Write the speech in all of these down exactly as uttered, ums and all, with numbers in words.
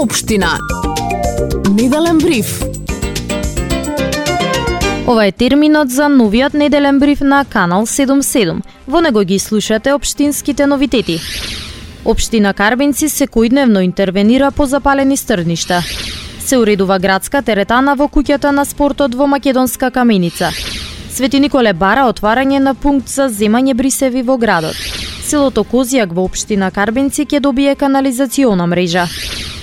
општина. Неделен бриф. Ова е терминот за новиот неделен бриф на Канал седумдесет и седум. Во него ги слушате општинските новитети. Општина Карбинци секојдневно интервенира по запалени стрништа. Се уредува градска теретана во куќата на спортот во Македонска Каменица. Свети Николе бара отварање на пункт за земање брисеви во градот. Селото Козијак во општина Карбинци ќе добие канализациона мрежа.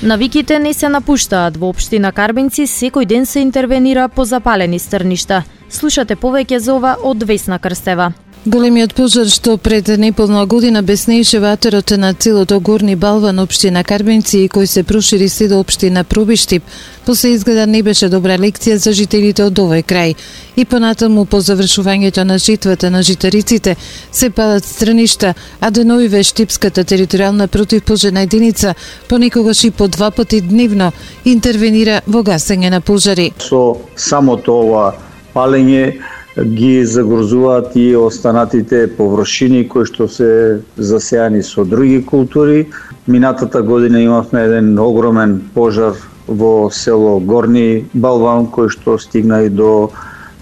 Навиките не се напуштаат. Во општина Карбинци секој ден се интервенира по запалени стрништа. Слушате повеќе за ова од Весна Крстева. Големиот пожар што пред неполна година беснееше ватерот на целото Горни Балван општина Карбинци и кој се прошири се до општина Пробиштип, после изгледа не беше добра лекција за жителите од овој крај. И понатаму по завршувањето на житвата на житариците се палат страништа, а деновиве Штипската територијална противпожарна единица понекогаш и по два пати дневно интервенира во гасење на пожари. Со самото ова палење ги загрозуваат и останатите површини кои што се засејани со други култури. Минатата година имавме еден огромен пожар во село Горни Балван кој што стигна и до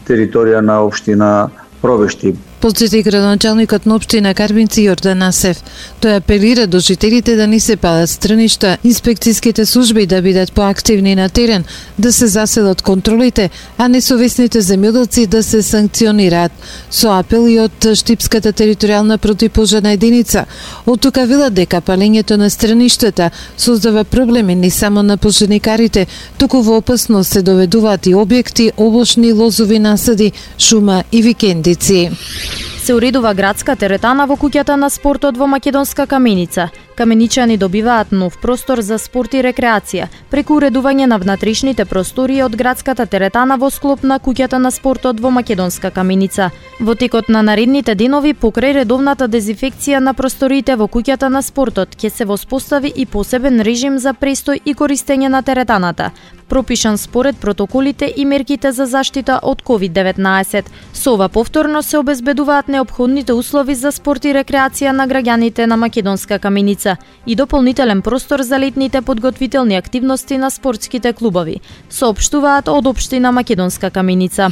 територија на општина Пробиштип. Потсети градоначалникот на општина Карбинци Јордан Асев. Тој апелира до жителите да не се палат стрништа, инспекцијските служби да бидат поактивни на терен, да се заселат контролите, а несовесните земјоделци да се санкционираат. Со апел и од Штипската територијална противпожарна единица, од тука велат дека палењето на страништата создава проблеми не само на пожарникарите, туку во опасност се доведуваат и објекти, овошни лозови насади, шума и викендици. Се уредува градска теретана во куќата на спортот во Македонска Каменица. Каменичани добиваат нов простор за спорт и рекреација, преку уредување на внатрешните простории од градската теретана во склоп на куќата на спортот во Македонска Каменица. Во текот на наредните денови, покрај редовната дезинфекција на просториите во куќата на спортот, ќе се воспостави и посебен режим за престој и користење на теретаната, пропишан според протоколите и мерките за заштита од ковид деветнаесет. Со ова повторно се обезбедуваат неопходните услови за спорт и рекреација на граѓаните на Македонска Каменица и дополнителен простор за летните подготвителни активности на спортските клубови, соопштуваат од општина Македонска Каменица.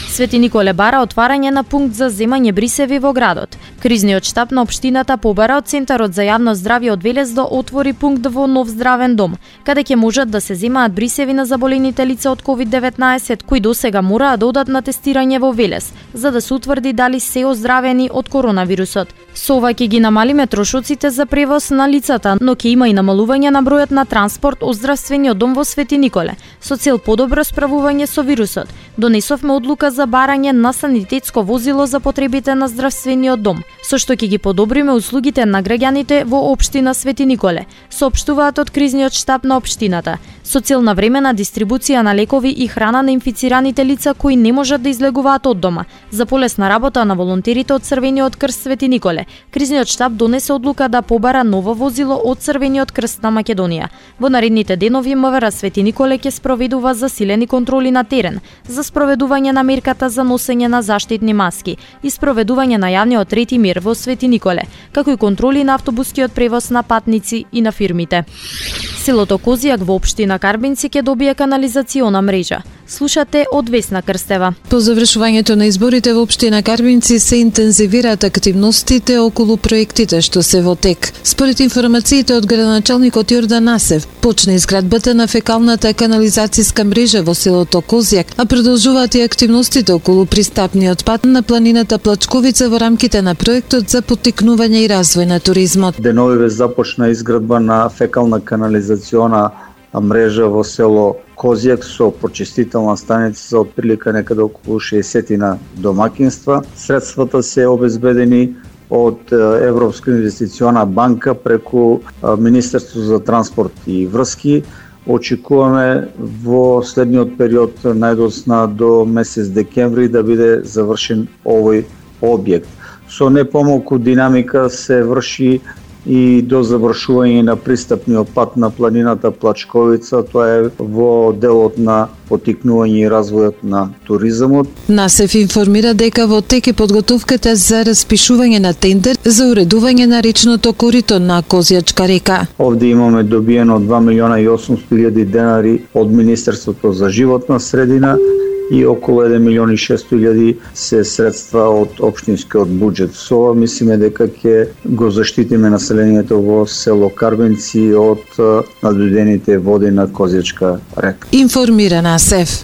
Свети Николе бара отварање на пункт за земање брисеви во градот. Кризниот штаб на општината побара од Центарот за јавно здравје од Велес да отвори пункт во нов здравен дом, каде ќе можат да се земаат брисеви на заболените лица од ковид деветнаесет кои досега мораа да одат на тестирање во Велес, за да се утврди дали се оздравени од коронавирусот. Со ова ќе ги намалиме трошоците за превоз на лицата, но ќе има и намалување на бројот на транспорт од здравствениот дом во Свети Николе, со цел подобро справување со вирусот. Донесовме одлука за барање на санитетско возило за потребите на здравствениот дом, со што ќе ги подобриме услугите на граѓаните во општина Свети Николе, соопштуваат од кризниот штаб на општината, со цел на времена дистрибуција на лекови и храна на инфицираните лица кои не можат да излегуваат од дома. За полесна работа на волонтерите од Црвениот крст Свети Николе, кризниот штаб донесе одлука да побара ново возило од Црвениот крст на Македонија. Во наредните денови МВР Свети Николе ќе спроведува засилени контроли на терен за спроведување на мерката за носење на заштитни маски и спроведување на јавниот ред и мир во Свети Николе, како и контроли на автобускиот превоз на патници и на фирмите. Селото Козијак во општина Карбинци ќе добие канализациона мрежа. Слушате од Весна Крстева. По завршувањето на изборите во општина Карбинци се интензивираат активностите околу проектите што се во тек. Според информациите од градоначалникот Јордан Асев, почна изградбата на фекалната канализацијска мрежа во селото Козијак, а продолжуваат и активностите околу пристапниот пат на планината Плачковица во рамките на проектот за поттикнување и развој на туризмот. Деновиве започна изградба на фекална канализациона мрежа во село Козијак со почистителна станица за отприлика некаде околу шеесет домакинства. Средствата се обезбедени од Европска инвестициона банка преку Министерство за транспорт и врски. Очекуваме во следниот период, најдосна до месец декември, да биде завршен овој објект. Со не помалку динамика се врши и до завршување на пристапниот пат на планината Плачковица. Тоа е во делот на потикнување и развојот на туризмот. НАСЕФ информира дека во тек е подготовката за распишување на тендер за уредување на речното корито на Козјачка река. Овде имаме добиено два милиона и осумстотини илјади денари од Министерството за животна средина и околу еден милион и шестстотини илјади се средства од општинскиот буџет. Со ова мислиме дека ќе го заштитиме населението во село Карбенци од надводнените води на Козјачка река. Информира НАСЕФ.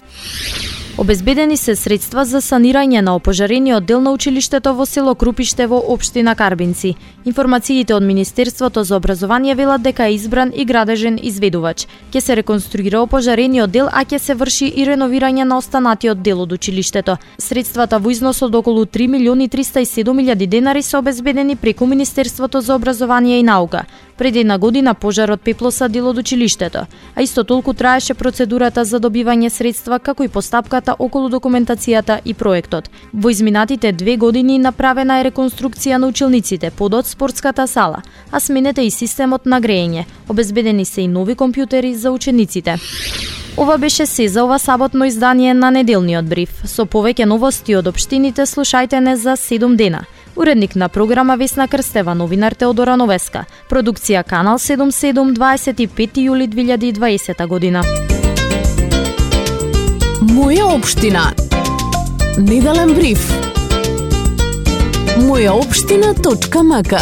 Обезбедени се средства за санирање на опожарениот дел на училиштето во село Крупиште во општина Карбинци. Информациите од Министерството за образование велат дека е избран и градежен изведувач. Ќе се реконструира опожарениот дел, а ќе се врши и реновирање на останатиот дел од училиштето. Средствата во износ од околу три милиони триста и седум илјади денари се обезбедени преку Министерството за образование и наука. Пред една година пожарот пеплоса дел од училиштето, а исто толку траеше процедурата за добивање средства како и постапката околу документацијата и проектот. Во изминатите две години направена е реконструкција на училниците, подот спортската сала, а сменете и системот на грејење. Обезбедени се и нови компјутери за учениците. Ова беше се за ова саботно издание на Неделниот бриф. Со повеќе новости од општините слушајте не за седум дена. Уредник на програма Весна Крстева, новинар Теодора Новеска. Продукција Канал седум седум, дваесет и пети јули две илјади и дваесета година. Моја општина. Неделен бриф. моја општина точка мака